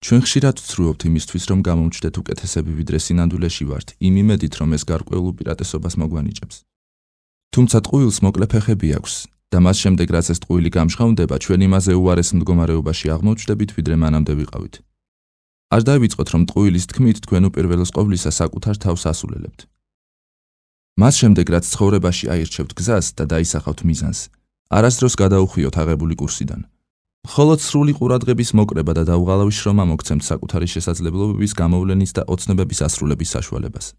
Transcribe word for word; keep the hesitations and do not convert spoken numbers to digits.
ჩვენ ხშირად ვცრუობთ იმისთვის, რომ გამომჩნდეთ უკეთესები ვიდრე სინამდვილეში ვართ, იმ იმედით, რომ ეს გარკვეულ უპირატესობას მოგვანიჭებს. თუმცა ტყუილს მოკლე ფეხები აქვს და მას შემდეგ, რაც ეს ტყუილი გამჟღავნდება, ჩვენ იმაზე უარეს მდგომარეობაში აღმოჩნდებით, ვიდრე მანამდე ვიყავით. არ დავიწყოთ, რომ ტყუილის თქმით თქვენ უპირველეს ყოვლისა საკუთარ თავს ასულელებთ. მას შემდეგ, რაც ცხოვრებაში აირჩევთ გზას და დაისახავთ მიზანს, არასდროს გადაუხვიოთ აღებული კურსიდან. მხოლოდ სრული ყურადღების მოკრება და დაუღალავი შრომა მოგცემთ საკუთარი შესაძლებლობების გამოვლენის და ოცნებების ასრულების საშუალებას.